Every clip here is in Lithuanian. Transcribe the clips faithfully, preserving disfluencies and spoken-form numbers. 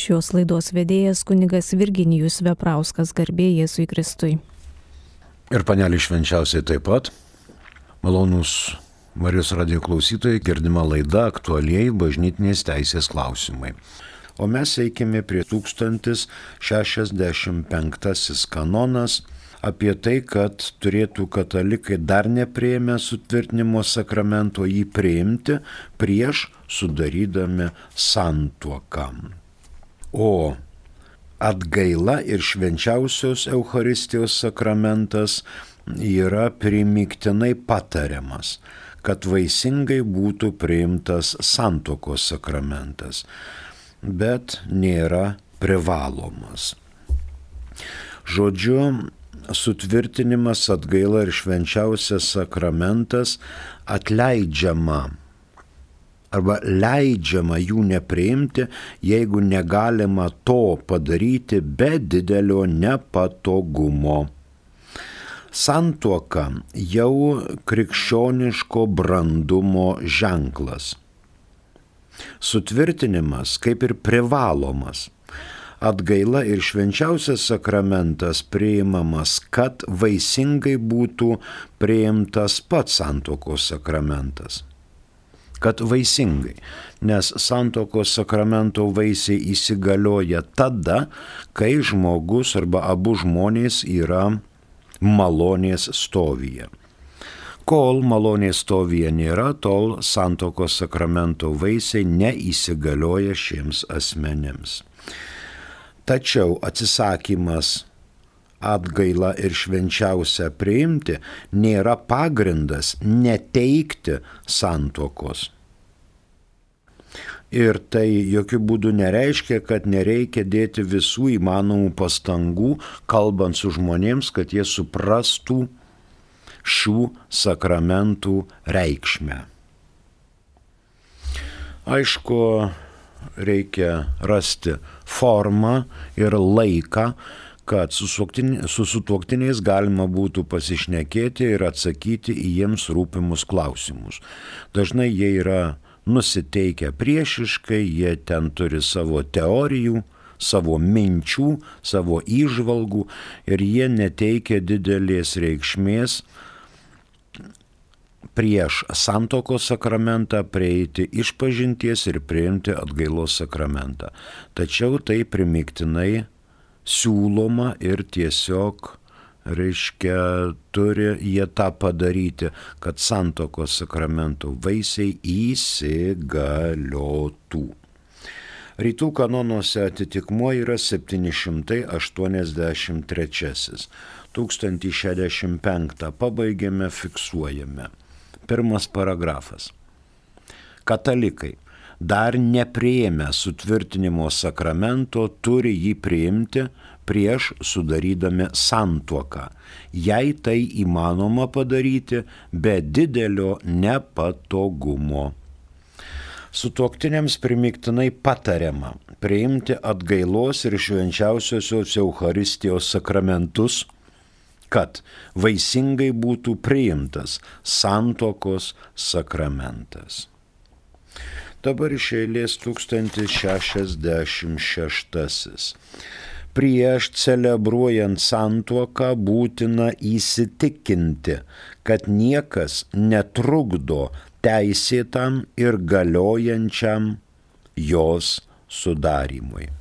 Šios laidos vedėjas kunigas Virginijus Veprauskas, garbė Jėzui Kristui. Ir panelį švenčiausiai taip pat. Malonūs Marijos radijo klausytojai, girdima laida aktualieji bažnytinės teisės klausimai. O mes eikime prie tūkstantis šešiasdešimt penktasis kanonas apie tai, kad turėtų katalikai dar nepriėmę sutvirtinimo sakramento jį priimti prieš sudarydami santuoką. O atgaila ir švenčiausios Eucharistijos sakramentas yra primygtinai patariamas, kad vaisingai būtų priimtas santuokos sakramentas, bet nėra privalomas. Žodžiu, sutvirtinimas, atgaila ir švenčiausias sakramentas atleidžiama arba leidžiama jų nepriimti, jeigu negalima to padaryti be didelio nepatogumo. Santuoka jau krikščioniško brandumo ženklas. Sutvirtinimas kaip ir privalomas. Atgaila ir švenčiausias sakramentas priimamas, kad vaisingai būtų priimtas pats santuokos sakramentas. Kad vaisingai, nes santuokos sakramento vaisiai įsigalioja tada, kai žmogus arba abu žmonės yra malonės stovyje. Kol malonės stovyje nėra, tol santuokos sakramento vaisiai neįsigalioja šiems asmenėms. Tačiau atsisakymas atgailą ir švenčiausią priimti nėra pagrindas neteikti santuokos. Ir tai jokių būdų nereiškia, kad nereikia dėti visų įmanomų pastangų, kalbant su žmonėms, kad jie suprastų šių sakramentų reikšmę. Aišku, reikia rasti formą ir laiką, kad su sutuoktiniais galima būtų pasišnekėti ir atsakyti į jiems rūpimus klausimus. Dažnai jie yra nusiteikę priešiškai, jie ten turi savo teorijų, savo minčių, savo įžvalgų ir jie neteikia didelės reikšmės prieš santuokos sakramentą prieiti išpažinties ir priimti atgailos sakramentą. Tačiau tai primygtinai siūloma ir tiesiog, reiškia, turi jie tą padaryti, kad santuokos sakramento vaisiai įsigaliotų. Rytų kanonuose atitikmuo yra septyni šimtai aštuoniasdešimt trečiasis. tūkstantis šešiasdešimt penktą pabaigėme, fiksuojame. Pirmas paragrafas. Katalikai dar nepriėmę sutvirtinimo sakramento turi jį priimti prieš sudarydami santuoką, jei tai įmanoma padaryti be didelio nepatogumo. Sutuoktiniams primygtinai patariama priimti atgailos ir švenčiausiosios Eucharistijos sakramentus, kad vaisingai būtų priimtas santuokos sakramentas. Dabar iš eilės tūkstantis šešiasdešimt šeštasis. Prieš celebruojant santuoką būtina įsitikinti, kad niekas netrukdo teisėtam ir galiojančiam jos sudarymui.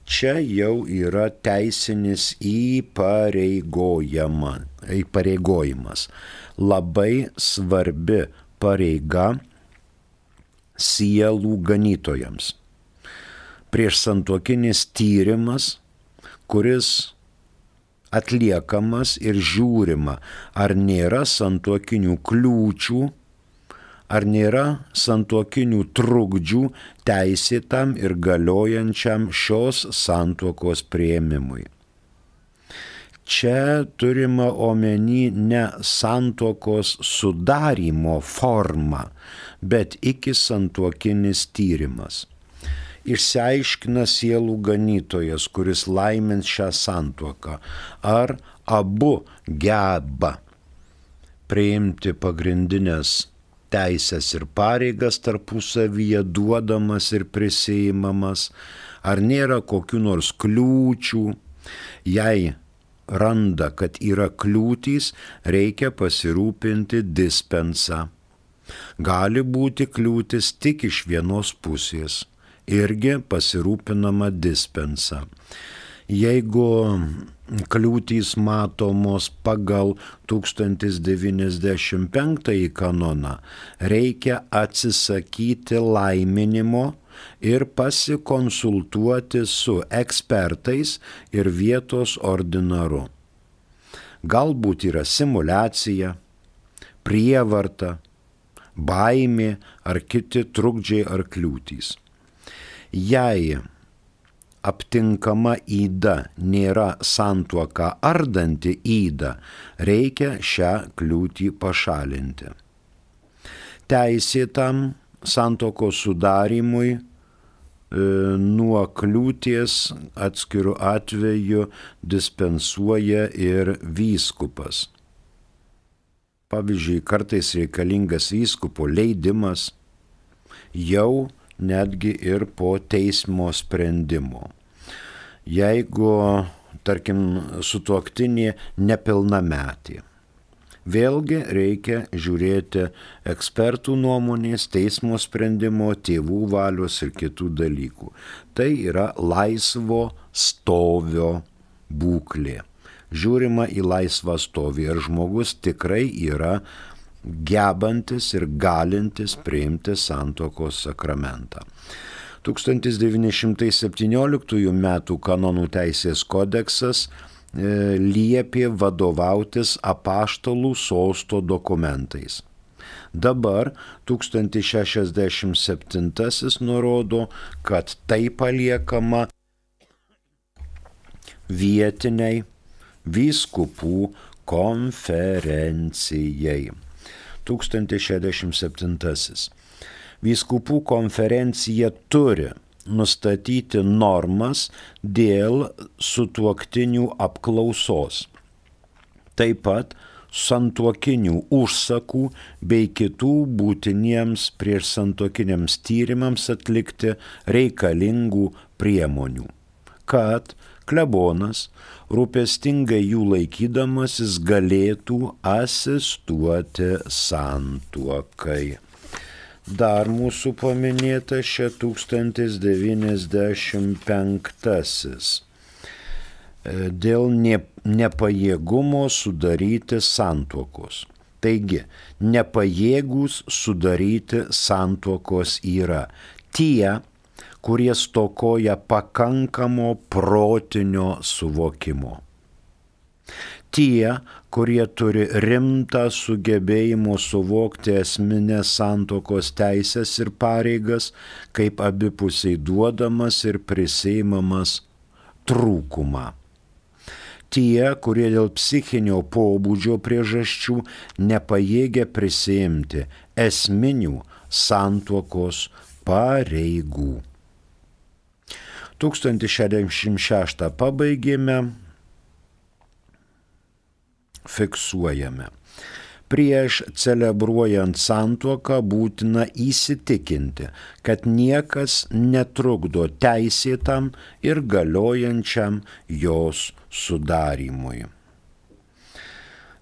Čia jau yra teisinis įpareigojimas. Labai svarbi pareiga sielų ganytojams. Priešsantuokinis tyrimas, kuris atliekamas ir žiūrima, ar nėra santuokinių kliūčių, ar nėra santuokinių trukdžių teisėtam ir galiojančiam šios santuokos priėmimui. Čia turima omeny ne santuokos sudarymo forma, bet iki santuokinis tyrimas. Išsiaiškina sielų ganytojas, kuris laimins šią santuoką, ar abu geba priimti pagrindinės teisės ir pareigas tarpusavyje duodamas ir prisiimamas, ar nėra kokių nors kliūčių. Jei randa, kad yra kliūtys, reikia pasirūpinti dispensa. Gali būti kliūtis tik iš vienos pusės, irgi pasirūpinama dispensa. Jeigu kliūtys matomos pagal tūkstantis devyniasdešimt penktąjį kanoną, reikia atsisakyti laiminimo ir pasikonsultuoti su ekspertais ir vietos ordinaru. Galbūt yra simuliacija, prievarta, baimė ar kiti trukdžiai ar kliūtys. Jei aptinkama yda nėra santuoką ardanti yda, reikia šią kliūtį pašalinti. Teisėtam santuokos sudarimui e, nuo kliūties atskiru atveju dispensuoja ir vyskupas. Pavyzdžiui, kartais reikalingas vyskupo leidimas jau netgi ir po teismo sprendimo. Jeigu, tarkim, sutuoktinė nepilnametė, vėlgi reikia žiūrėti ekspertų nuomonės, teismo sprendimo, tėvų valios ir kitų dalykų. Tai yra laisvo stovio būklė. Žiūrima į laisvą stovį, ar žmogus tikrai yra gebantis ir galintis priimti santuokos sakramentą. tūkstantis devyni šimtai septynioliktųjų metų kanonų teisės kodeksas e, liepė vadovautis apaštalų sosto dokumentais. Dabar tūkstantis šešiasdešimt septintasis nurodo, kad tai paliekama vietiniai vyskupų konferencijai. tūkstantis šešiasdešimt septintasis. Vyskupų konferencija turi nustatyti normas dėl sutuoktinių apklausos. Taip pat santuokinių užsakų bei kitų būtiniems prieš santuokiniams tyrimams atlikti reikalingų priemonių, kad klebonas rūpestingai jų laikydamasis galėtų asistuoti santuokai. Dar mūsų paminėta šia tūkstantis devyniasdešimt penktasis. Dėl nepajėgumo sudaryti santuokos. Taigi, nepajėgus sudaryti santuokos yra tie, kurie stokoja pakankamo protinio suvokimo. Tie, kurie turi rimtą sugebėjimo suvokti esminės santuokos teisės ir pareigas, kaip abipusiai duodamas ir prisiimamas trūkumą. Tie, kurie dėl psichinio pobūdžio priežasčių nepajėgia prisiimti esminių santuokos pareigų. tūkstantis šešiasdešimt šeštą pabaigėme, fiksuojame. Prieš celebruojant santuoką būtina įsitikinti, kad niekas netrukdo teisėtam ir galiojančiam jos sudarimui.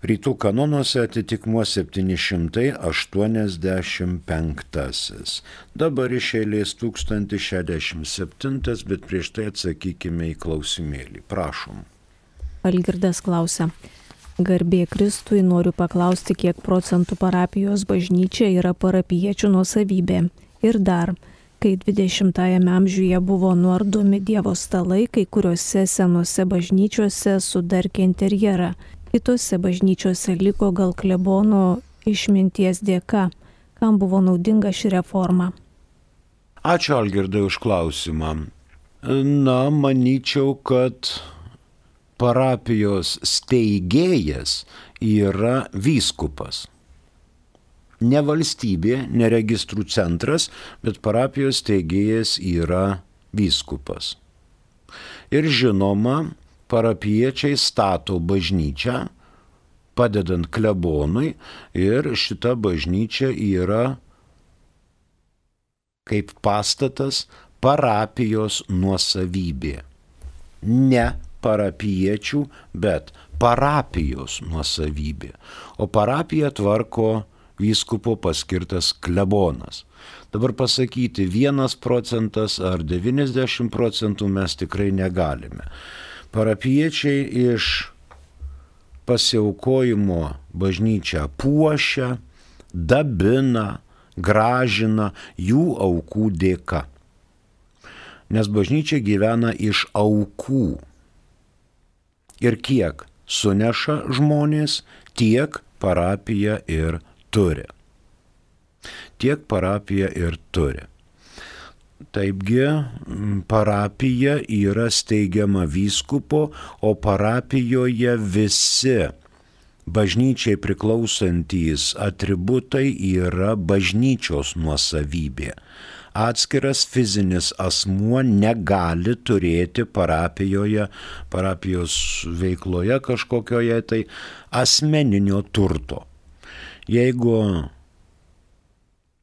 Rytų kanonuose atitikmuo septyni šimtai aštuoniasdešimt penktasis. Dabar iš eilės tūkstantis šešiasdešimt septintas, bet prieš tai atsakykime į klausimėlį. Prašom. Algirdas klausia. Garbė Kristui, noriu paklausti, kiek procentų parapijos bažnyčia yra parapiečių nuosavybė. Ir dar, kai dvidešimtajame amžiuje buvo nuardomi Dievo stalai, kai kuriuose senose bažnyčiose sudarkė interjerą. Kitose bažnyčiose liko gal klebono išminties dėka. Kam buvo naudinga ši reforma? Ačiū, Algirdai, už klausimą. Na, manyčiau, kad parapijos steigėjas yra vyskupas. Ne valstybė, ne registrų centras, bet parapijos steigėjas yra vyskupas. Ir žinoma, parapiečiai stato bažnyčią padedant klebonui, ir šita bažnyčia yra kaip pastatas parapijos nuosavybė. Ne parapiečių, bet parapijos nuosavybė. O parapiją tvarko vyskupo paskirtas klebonas. Dabar pasakyti vienas procentas ar devyniasdešimt procentų mes tikrai negalime. Parapiečiai iš pasiaukojimo bažnyčią puošia, dabina, gražina jų aukų dėka. Nes bažnyčia gyvena iš aukų. Ir kiek suneša žmonės, tiek parapija ir turi. Tiek parapija ir turi. Taipgi parapija yra steigiama vyskupo, o parapijoje visi bažnyčiai priklausantys atributai yra bažnyčios nuosavybė. Atskiras fizinis asmuo negali turėti parapijoje, parapijos veikloje kažkokioje tai asmeninio turto. Jeigu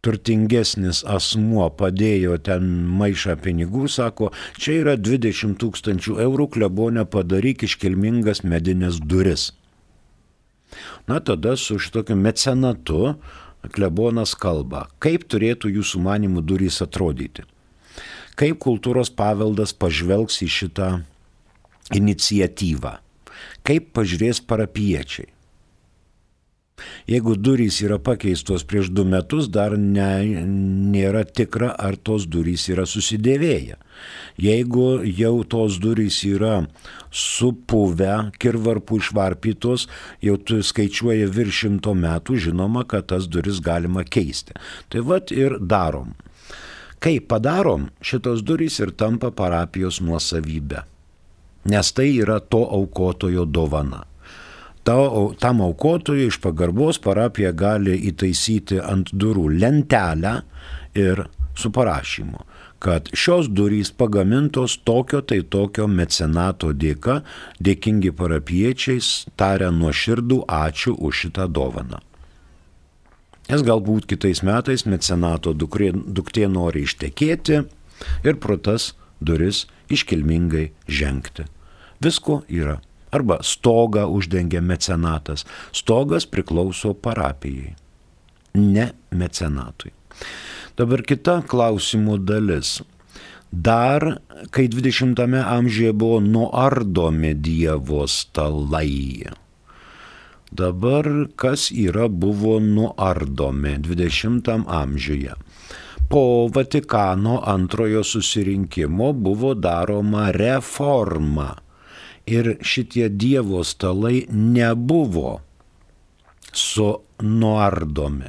turtingesnis asmuo padėjo ten maišą pinigų, sako, čia yra dvidešimt tūkstančių eurų, klebone padaryk iškilmingas medinės duris. Na tada su šitokiu mecenatu klebonas kalba, kaip turėtų jūsų manimų durys atrodyti, kaip kultūros paveldas pažvelgs į šitą iniciatyvą, kaip pažiūrės parapiečiai. Jeigu durys yra pakeistos prieš du metus, dar ne, nėra tikra, ar tos durys yra susidėvėję. Jeigu jau tos durys yra supuvę, kirvarpų išvarpytos, jau tu skaičiuoji virš šimto metų, žinoma, kad tas duris galima keisti. Tai vat ir darom. Kai padarom, šitos durys ir tampa parapijos nuosavybė. Nes tai yra to aukotojo dovana. Tam aukotojui iš pagarbos parapija gali įtaisyti ant durų lentelę ir su parašymu, kad šios durys pagamintos tokio tai tokio mecenato dėka, dėkingi parapiečiais taria nuoširdų ačiū už šitą dovaną. Nes galbūt kitais metais mecenato duktė, duktė nori ištekėti ir pro tas duris iškilmingai žengti. Visko yra. Arba stogą uždengia mecenatas. Stogas priklauso parapijai, ne mecenatui. Dabar kita klausimų dalis. Dar, kai dvidešimtame amžiuje buvo nuardomi Dievo stalai. Dabar kas yra buvo nuardomi dvidešimtam amžiuje? Po Vatikano antrojo susirinkimo buvo daroma reforma. Ir šitie Dievo stalai nebuvo sunuardomi,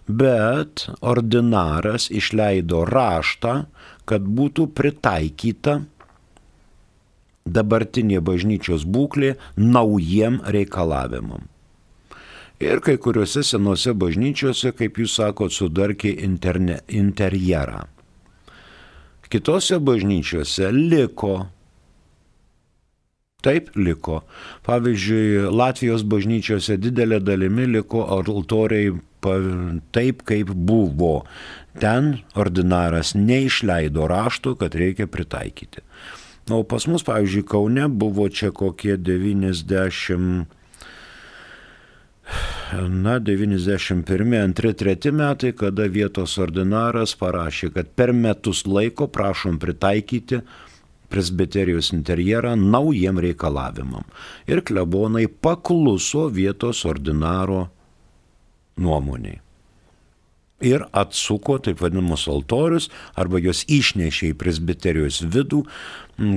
bet ordinaras išleido raštą, kad būtų pritaikyta dabartinė bažnyčios būklė naujiem reikalavimam. Ir kai kuriuose senose bažnyčiose, kaip jūs sakot, sudarkė interne, interjerą. Kitose bažnyčiose liko. Taip liko. Pavyzdžiui, Latvijos bažnyčiose didelė dalimi liko altoriai taip, kaip buvo. Ten ordinaras neišleido rašto, kad reikia pritaikyti. O pas mus, pavyzdžiui, Kaune buvo čia kokie devyniasdešimt, na, devyniasdešimt pirmi, antri, treti metai, kada vietos ordinaras parašė, kad per metus laiko prašom pritaikyti presbiterijos interjerą naujiem reikalavimam. Ir klebonai pakluso vietos ordinaro nuomoniai. Ir atsuko taip vadinamus altorius, arba jos išnešė į presbiterijos vidų,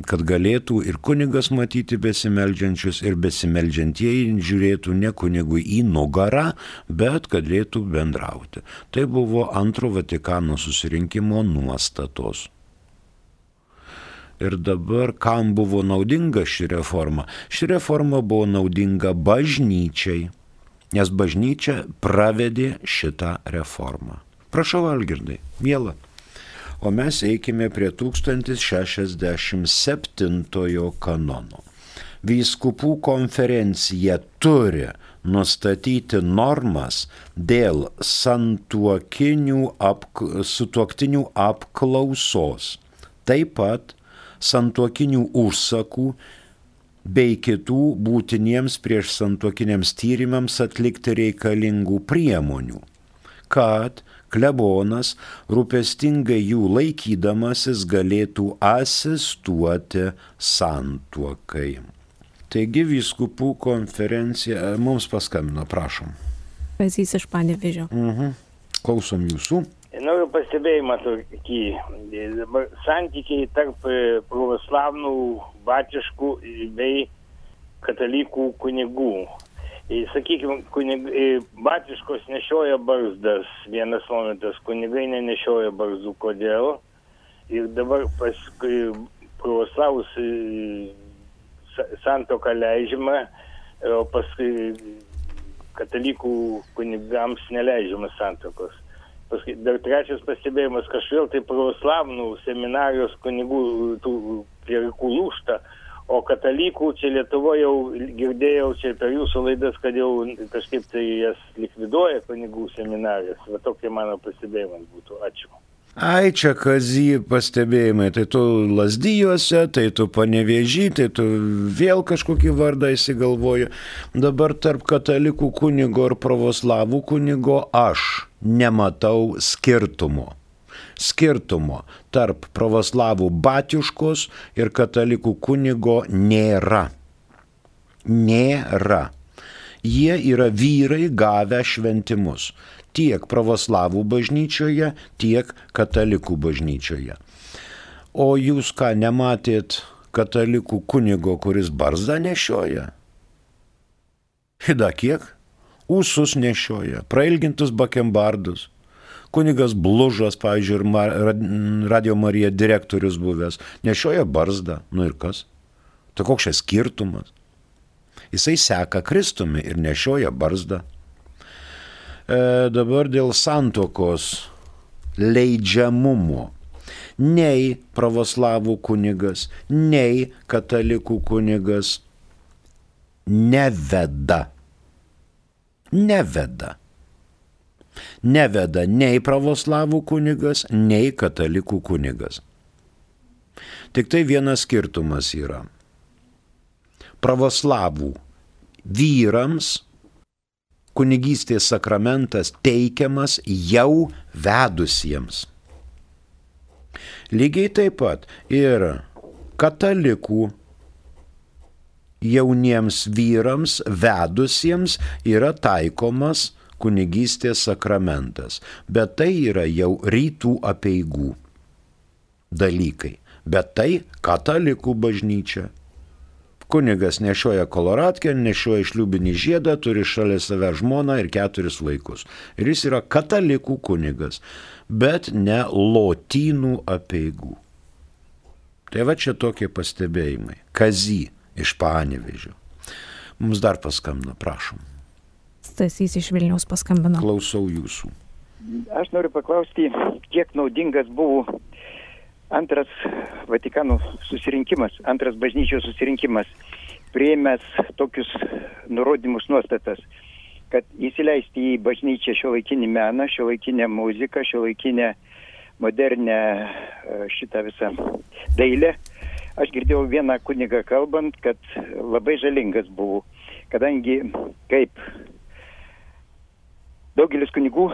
kad galėtų ir kunigas matyti besimeldžiančius, ir besimeldžiantieji žiūrėtų ne kunigui į nugarą, bet galėtų bendrauti. Tai buvo antro Vatikano susirinkimo nuostatos. Ir dabar kam buvo naudinga ši reforma? Ši reforma buvo naudinga bažnyčiai, nes bažnyčia pravedė šitą reformą. Prašau, Algirdai, miela. O mes eikime prie tūkstantis šešiasdešimt septintojo kanono. Vyskupų konferencija turi nustatyti normas dėl santuokinių apk... sutuoktinių apklausos, taip pat santuokinių užsakų bei kitų būtiniems prieš santuokiniams tyrimams atlikti reikalingų priemonių, kad klebonas rūpestingai jų laikydamasis galėtų asistuoti santuokai. Taigi vyskupų konferencija mums paskambino, prašom. Kazys iš Panevėžio. Mhm. Klausom jūsų. Noriu pastebėjimą tokį. Santykiai tarp pravoslavnų, batiškų bei katalikų kunigų. Sakykime, kunig... batiškos nešioja barzdas, vienas momentas, kunigai nenešioja barzdų, kodėl. Ir dabar paskui pravoslavus santuoka leidžiama, o paskui katalikų kunigams neleidžiamas santuokos. Paskui dar trečias pastebėjimas, kažvėl tai pravoslavnų seminarijos kunigų tų klierikų lūžta, o katalikų čia Lietuvoje jau girdėjau čia per jūsų laidas, kad jau kažkaip tai jas likviduoja kunigų seminarijas. Va tokie mano pastebėjimas būtų. Ačiū. Ai, čia Kazy pastebėjimai, tai tu Lazdijuose, tai tu Panevėžy, tai tu vėl kažkokį vardą įsigalvoji. Dabar tarp katalikų kunigo ir pravoslavų kunigo aš nematau skirtumo. Skirtumo tarp pravoslavų batiuškos ir katalikų kunigo nėra. Nėra. Jie yra vyrai gavę šventimus. Tiek pravoslavų bažnyčioje, tiek katalikų bažnyčioje. O jūs ką, nematėt katalikų kunigo, kuris barzdą nešioja? Hida kiek? Ūsus nešioja, prailgintus bakembardus. Kunigas Blužas, pavyzdžiui, ir Radio Marija direktorius buvęs, nešioja barzdą. Nu ir kas? Tai koks čia skirtumas? Jisai seka Kristumi ir nešioja barzdą. E, dabar dėl santuokos leidžiamumo. Nei pravoslavų kunigas, nei katalikų kunigas neveda. Neveda. Neveda nei pravoslavų kunigas, nei katalikų kunigas. Tik tai vienas skirtumas yra. Pravoslavų vyrams kunigystės sakramentas teikiamas jau vedusiems. Lygiai taip pat ir katalikų jauniems vyrams vedusiems yra taikomas kunigystės sakramentas, bet tai yra jau rytų apeigų dalykai, bet tai katalikų bažnyčia. Kunigas nešioja koloratkę, nešioja šliūbinį žiedą, turi šalia save žmoną ir keturis vaikus. Ir jis yra katalikų kunigas, bet ne lotynų apeigų. Tai va čia tokie pastebėjimai. Kazy iš Panevėžio. Mums dar paskambino, prašom. Stasys iš Vilniaus paskambino. Klausau jūsų. Aš noriu paklausti, kiek naudingas buvo antras Vatikano susirinkimas, antras bažnyčios susirinkimas, priėmęs tokius nurodymus nuostatas, kad įsileisti į bažnyčią šiuolaikinį meną, šiuolaikinę muziką, šiuolaikinę modernę šitą visą dailę. Aš girdėjau vieną kunigą kalbant, kad labai žalingas buvo, kadangi kaip daugelis kunigų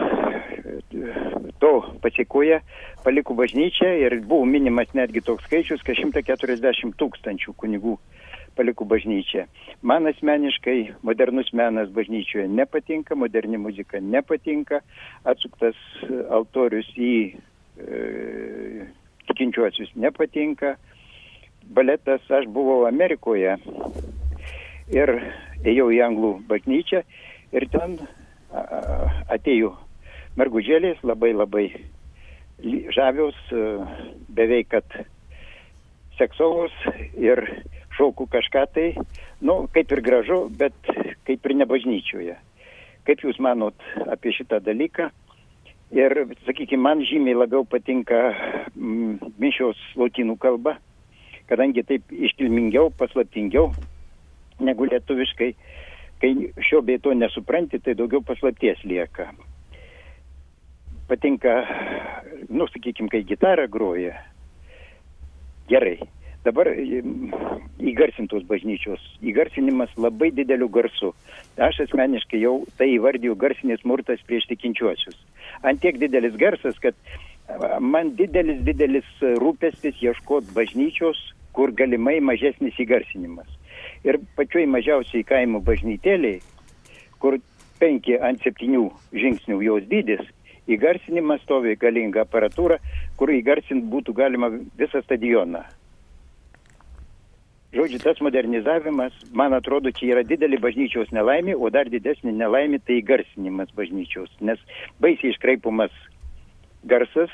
to pasiekoja, paliko bažnyčią ir buvo minimas netgi toks skaičius, kad šimtas keturiasdešimt tūkstančių kunigų paliko bažnyčią. Man asmeniškai modernus menas bažnyčioje nepatinka, moderni muzika nepatinka, atsuktas altorius į e, tikinčiuosius nepatinka. Baletas, aš buvau Amerikoje ir ėjau į anglų bažnyčią ir ten atėjo mergužėlės, labai labai žavios, beveik kad seksualus ir šaukų kažką tai, nu, kaip ir gražu, bet kaip ir ne bažnyčioje. Kaip jūs manot apie šitą dalyką? Ir, sakykime, man žymiai labiau patinka mm, mišios lotynų kalba, kadangi taip iškilmingiau, paslaptingiau negu lietuviškai. Kai šio bei to nesupranti, tai daugiau paslapties lieka. Patinka, nu, sakykime, kai gitarą groja. Gerai. Dabar įgarsintos bažnyčios. Įgarsinimas labai dideliu garsu. Aš asmeniškai jau tai įvardiju garsinis smurtas prieš tikinčiuosius. Antiek didelis garsas, kad man didelis, didelis rūpestis ieškoti bažnyčios, kur galimai mažesnis įgarsinimas. Ir pačioj mažiausiai kaimo bažnytėliai, kur penki ant septynių žingsnių jos dydis, įgarsinimas stovi galinga aparatūra, kur įgarsint būtų galima visą stadioną. Žodžiu, tas modernizavimas, man atrodo, čia yra didelė bažnyčios nelaimė, o dar didesnė nelaimė tai įgarsinimas bažnyčios, nes baisiai iškraipomas garsas,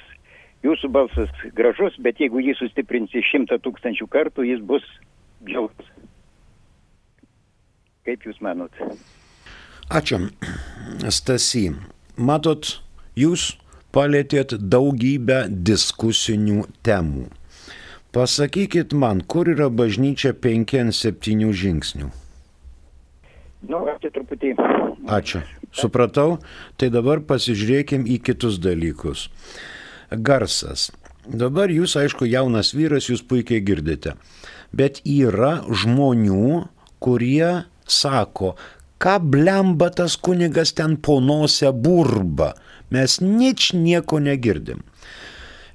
jūsų balsas gražus, bet jeigu jį sustiprinsi šimtą tūkstančių kartų, jis bus bjaurus. Kaip jūs manot? Ačiū, Stasy. Matot, jūs palėtėt daugybę diskusinių temų. Pasakykit man, kur yra bažnyčia penki ant septynių žingsnių? Nu, aš truputį... Ačiū. Supratau. Tai dabar pasižiūrėkim į kitus dalykus. Garsas. Dabar jūs, aišku, jaunas vyras, jūs puikiai girdite. Bet yra žmonių, kurie sako, ką blemba tas kunigas ten po nosę burba. Mes nič nieko negirdim.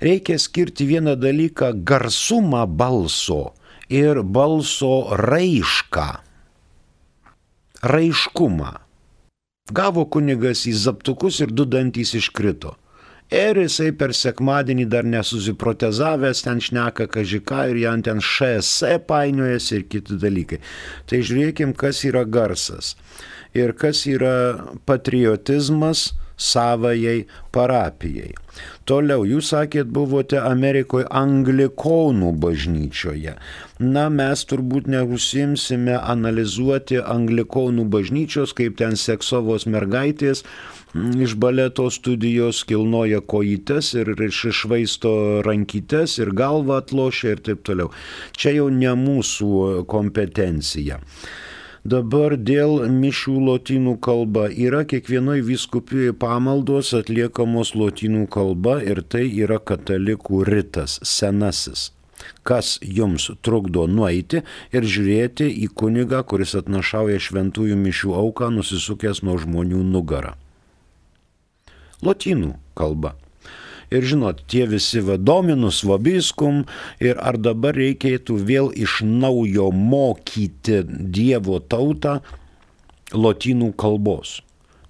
Reikia skirti vieną dalyką – garsumą balso ir balso raišką. Raiškumą. Gavo kunigas į zaptukus ir du dantys iškrito. Ir jisai per sekmadienį dar nesusiprotezavęs, ten šneka kažką ir jam ten š s painiojasi ir kiti dalykai. Tai žiūrėkim, kas yra garsas ir kas yra patriotizmas savajai parapijai. Toliau, jūs sakėt, buvote Amerikoje anglikonų bažnyčioje. Na, mes turbūt neužsiimsime analizuoti anglikonų bažnyčios, kaip ten seksovos mergaitės iš baleto studijos kilnoja kojytes ir iššvaisto rankytes ir galvą atlošia ir taip toliau. Čia jau ne mūsų kompetencija. Dabar dėl mišių lotynų kalba yra kiekvienoj vyskupijoje pamaldos atliekamos lotynų kalba ir tai yra katalikų ritas, senasis. Kas jums trukdo nueiti ir žiūrėti į kunigą, kuris atnašauja šventųjų mišių auką, nusisukęs nuo žmonių nugarą? Lotynų kalba. Ir žinot, tie visi dominus vobiskum ir ar dabar reikėtų vėl iš naujo mokyti Dievo tautą lotynų kalbos.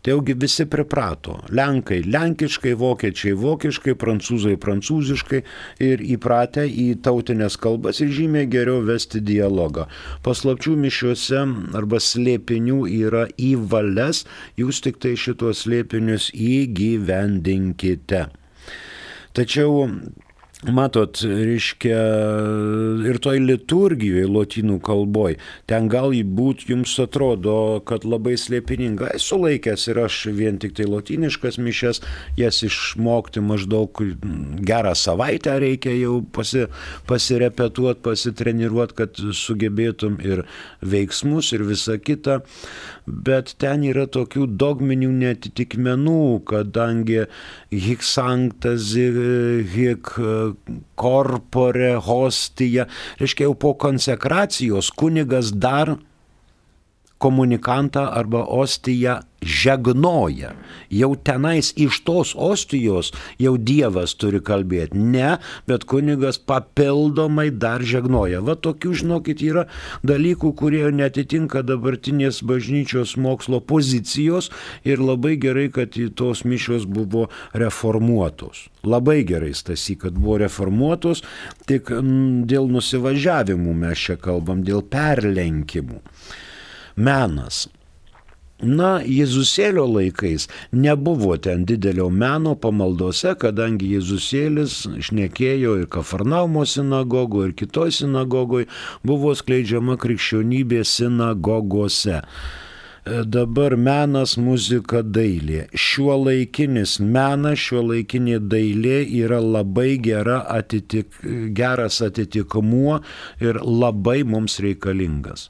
Tai jaugi visi priprato. Lenkai lenkiškai, vokiečiai vokiškai, prancūzai prancūziškai ir įpratę į tautinės kalbas ir žymiai geriau vesti dialogą. Paslapčių mišiuose arba slėpinių yra į valias, jūs tik tai šitos slėpinius įgyvendinkite. Tačiau, matot, reiškia, ir toj liturgijoje lotynų kalboj, ten gal būt jums atrodo, kad labai slėpininga. Esu laikęs ir aš vien tik tai lotyniškas mišes, jas išmokti maždaug gerą savaitę reikia jau pasi, pasirepetuoti, pasitreniruoti, kad sugebėtum ir veiksmus ir visa kita. Bet ten yra tokių dogminių netitikmenų, kadangi hic sanctas, hic corpore hostia, reiškia jau po konsekracijos kunigas dar komunikantą arba ostiją žegnoja. Jau tenais iš tos ostijos jau Dievas turi kalbėti. Ne, bet kunigas papildomai dar žegnoja. Va tokių, žinokit, yra dalykų, kurie netitinka dabartinės bažnyčios mokslo pozicijos ir labai gerai, kad tos mišios buvo reformuotos. Labai gerai, Stasy, kad buvo reformuotos, tik dėl nusivažiavimų mes čia kalbam, dėl perlenkimų. Menas. Na, Jėzusėlio laikais nebuvo ten didelio meno pamaldose, kadangi Jėzusėlis šnekėjo ir Kafarnaumo sinagogoje, ir kitoj sinagogoje, buvo skleidžiama krikščionybė sinagogose. Dabar menas, muzika, dailė. Šiuolaikinis menas, šiuolaikinė dailė yra labai gera atitik, geras atitikmuo ir labai mums reikalingas.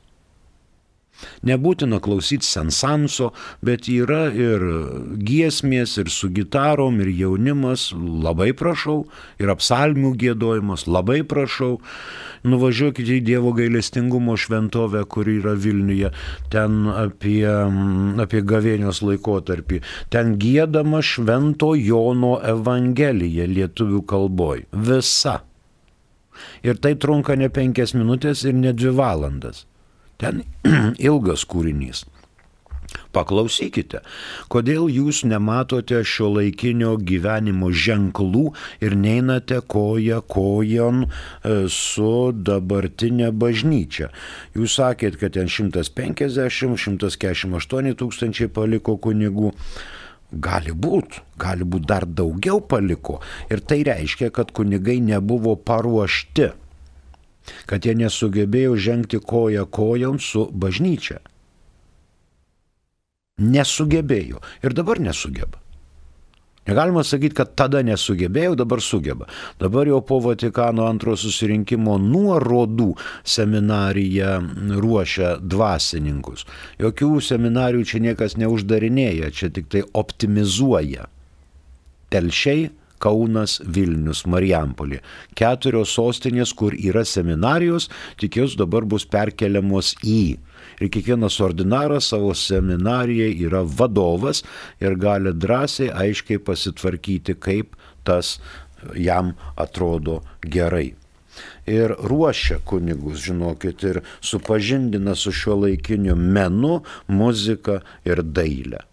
Nebūtina klausyti sensanso, bet yra ir giesmės, ir su gitarom, ir jaunimas, labai prašau, ir apsalmių giedojimas, labai prašau. Nuvažiuokite į Dievo gailestingumo šventovę, kur yra Vilniuje, ten apie, apie gavėnios laikotarpį. Ten giedama Švento Jono Evangelija lietuvių kalboj. Visa. Ir tai trunka ne penkias minutės ir ne dvi valandas. Ten ilgas kūrinys. Paklausykite, kodėl jūs nematote šio laikinio gyvenimo ženklų ir neinate koja kojon su dabartinė bažnyčia. Jūs sakėt, kad ten šimtas penkiasdešimt šimtas keturiasdešimt aštuoni tūkstančiai paliko kunigų. Gali būt, gali būt dar daugiau paliko. Ir tai reiškia, kad kunigai nebuvo paruošti, kad jie nesugebėjo žengti koja kojon su bažnyčia. Nesugebėjo. Ir dabar nesugeba. Negalima sakyti, kad tada nesugebėjau, dabar sugeba. Dabar jau po Vatikano antrojo susirinkimo nuorodų seminarija ruošia dvasininkus. Jokių seminarijų čia niekas neuždarinėja, čia tik tai optimizuoja. Telšiai, Kaunas, Vilnius, Marijampolė. Keturios sostinės, kur yra seminarijos, tik jos dabar bus perkeliamos į. Ir kiekvienas ordinaras savo seminarijai yra vadovas ir gali drąsiai, aiškiai pasitvarkyti, kaip tas jam atrodo gerai. Ir ruošia kunigus, žinokit, ir supažindina su šiuo laikiniu menu, muzika ir dailė.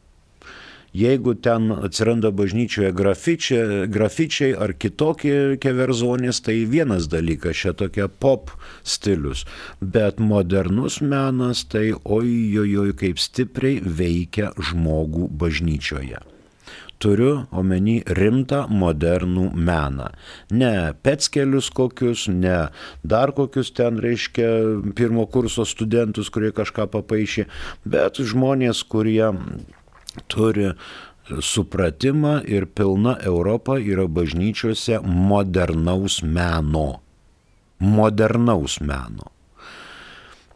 Jeigu ten atsiranda bažnyčioje grafičiai, grafičiai ar kitokie keverzonės, tai vienas dalykas, čia tokia pop stilius. Bet modernus menas, tai ojojoj kaip stipriai veikia žmogų bažnyčioje. Turiu omeny rimtą modernų meną. Ne peckelius kokius, ne dar kokius ten, reiškia, pirmo kurso studentus, kurie kažką papaišė, bet žmonės, kurie turi supratimą ir pilna Europa yra bažnyčiose modernaus meno. Modernaus meno.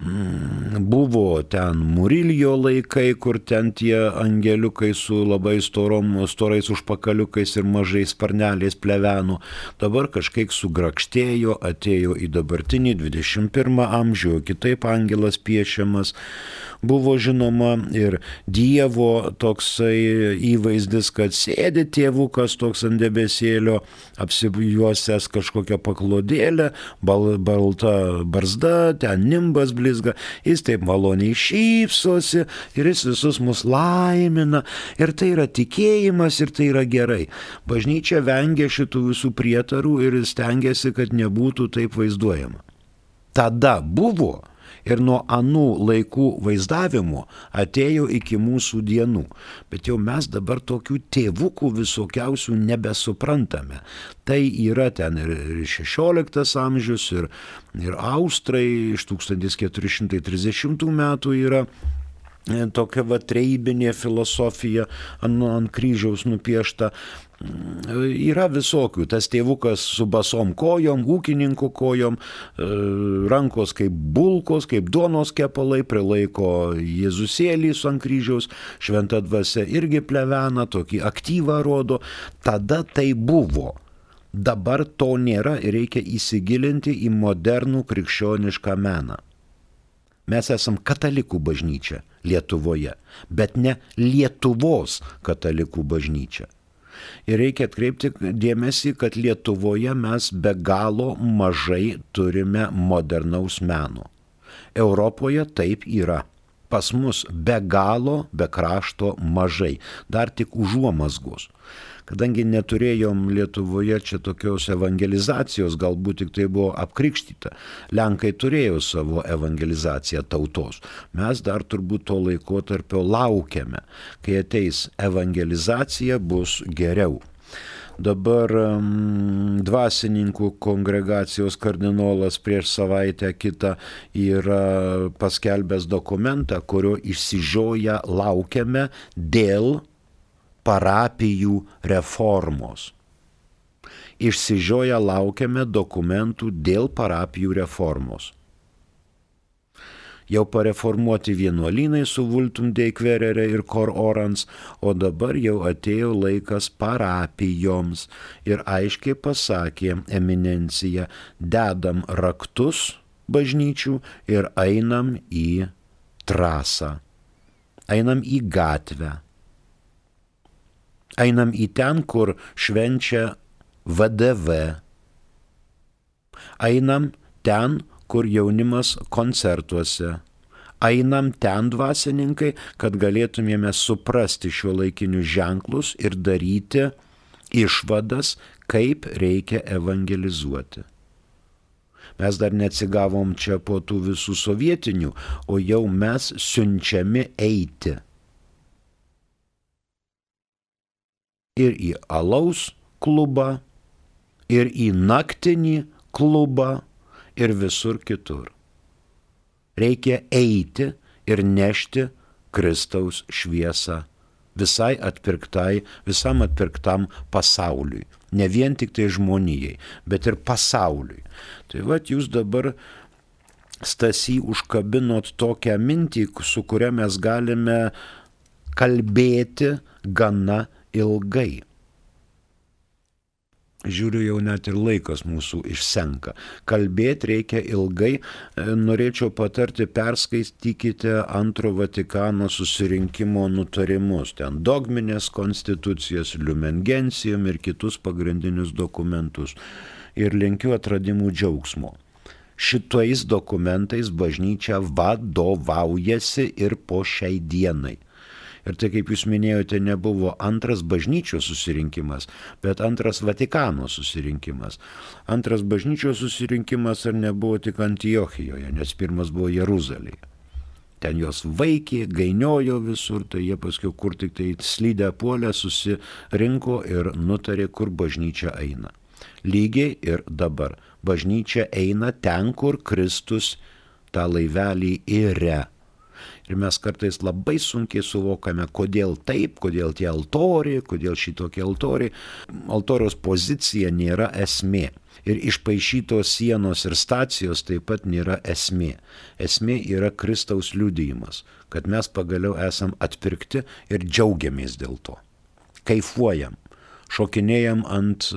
Buvo ten Muriljo laikai, kur ten tie angeliukai su labai storom, storais užpakaliukais ir mažais sparneliais pleveno. Dabar kažkaip sugrakštėjo, atėjo į dabartinį dvidešimt pirmą amžių, kitaip angelas piešiamas. Buvo žinoma ir Dievo toksai įvaizdis, kad sėdi tėvukas toks ant debesėlio, apsijuosęs kažkokią paklodėlę, bal, balta barzda, ten nimbas blizga, jis taip maloniai šypsosi ir jis visus mus laimina. Ir tai yra tikėjimas ir tai yra gerai. Bažnyčia vengia šitų visų prietarų ir stengiasi, kad nebūtų taip vaizduojama. Tada buvo. Ir nuo anų laikų vaizdavimo atėjo iki mūsų dienų. Bet jau mes dabar tokių tėvukų visokiausių nebesuprantame. Tai yra ten ir šešioliktas amžius, ir, ir Austrai iš tūkstantis keturi šimtai trisdešimtų metų yra tokia va treibinė filosofija ant, ant kryžiaus nupiešta. Yra visokių, tas tėvukas su basom kojom, ūkininko kojom, rankos kaip bulkos, kaip duonos kepalai, prilaiko Jėzusėlį su ant kryžiaus, šventa dvasia irgi plevena, tokį aktyvą rodo. Tada tai buvo. Dabar to nėra ir reikia įsigilinti į modernų krikščionišką meną. Mes esam katalikų bažnyčia Lietuvoje, bet ne Lietuvos katalikų bažnyčia. Ir reikia atkreipti dėmesį, kad Lietuvoje mes be galo mažai turime modernaus meno. Europoje taip yra. Pas mus be galo, be krašto mažai. Dar tik užuomazgos. Kadangi neturėjom Lietuvoje čia tokios evangelizacijos, galbūt tik tai buvo apkrikštyta. Lenkai turėjo savo evangelizaciją tautos. Mes dar turbūt to laikotarpio laukiame. Kai ateis evangelizacija, bus geriau. Dabar um, dvasininkų kongregacijos kardinolas prieš savaitę kitą yra paskelbęs dokumentą, kurio išsižioję laukiame dėl parapijų reformos. Išsižioję laukiame dokumentų dėl parapijų reformos. jau pareformuoti vienuolynai su Vultum Dei Querere ir Cor Orans, o dabar jau atėjo laikas parapijoms ir aiškiai pasakė eminencija, dedam raktus bažnyčių ir einam į trasą, einam į gatvę, einam į ten, kur švenčia V D V, einam ten, kur jaunimas koncertuose, einam ten dvasininkai, kad galėtumėme suprasti šiuolaikinius ženklus ir daryti išvadas, kaip reikia evangelizuoti. Mes dar neatsigavom čia po tų visų sovietinių, o jau mes siunčiami eiti. Ir į alaus klubą, ir į naktinį klubą, ir visur kitur. Reikia eiti ir nešti Kristaus šviesą visai atpirktai, visam atpirktam pasauliui. Ne vien tik tai žmonijai, bet ir pasauliui. Tai vat jūs dabar, Stasy, užkabinot tokią mintį, su kuria mes galime kalbėti gana ilgai. Žiūriu, jau net ir laikas mūsų išsenka. Kalbėti reikia ilgai. Norėčiau patarti, perskaitykite Antro Vatikano susirinkimo nutarimus. Ten dogminės konstitucijas, Lumen Gentium ir kitus pagrindinius dokumentus. Ir linkiu atradimų džiaugsmo. Šitais dokumentais bažnyčia vadovaujasi ir po šiai dienai. Ir tai, kaip jūs minėjote, nebuvo antras bažnyčios susirinkimas, bet antras Vatikano susirinkimas. Antras bažnyčios susirinkimas ar nebuvo tik Antiochijoje, nes pirmas buvo Jeruzalėje. Ten jos vaikė, gainiojo visur, tai jie paskui kur tik tai slydę puolę susirinko ir nutarė, kur bažnyčia eina. Lygiai ir dabar. Bažnyčia eina ten, kur Kristus tą laivelį įre. Ir mes kartais labai sunkiai suvokame, kodėl taip, kodėl tie altoriai, kodėl šitokie altoriai. Altoriaus pozicija nėra esmė. Ir išpaišytos sienos ir stacijos taip pat nėra esmė. Esmė yra Kristaus liudijimas, kad mes pagaliau esam atpirkti ir džiaugiamės dėl to. Kaifuojam, šokinėjam ant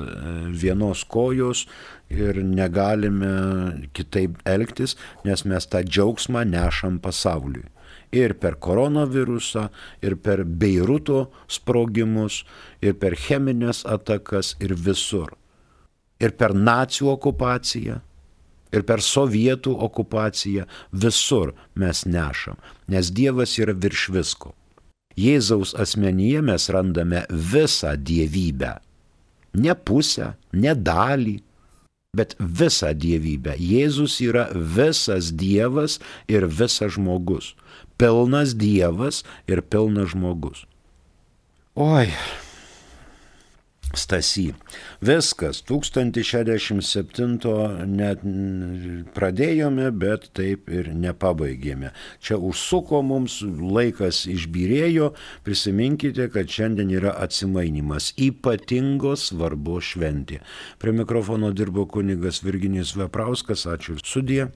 vienos kojos ir negalime kitaip elgtis, nes mes tą džiaugsmą nešam pasauliui. Ir per koronavirusą, ir per Beiruto sprogimus, ir per cheminės atakas, ir visur. Ir per nacių okupaciją, ir per sovietų okupaciją, visur mes nešam, nes Dievas yra virš visko. Jėzaus asmenyje mes randame visą dievybę. Ne pusę, ne dalį, bet visą dievybę. Jėzus yra visas Dievas ir visas žmogus. Pilnas Dievas ir pilnas žmogus. Oi, Stasy, viskas, tūkstantis šešiasdešimt septinto net pradėjome, bet taip ir nepabaigėme. Čia užsuko mums, laikas išbyrėjo, prisiminkite, kad šiandien yra atsimainimas, ypatingos svarbos šventė. Prie mikrofono dirbo kunigas Virginijus Veprauskas, ačiū, sudie.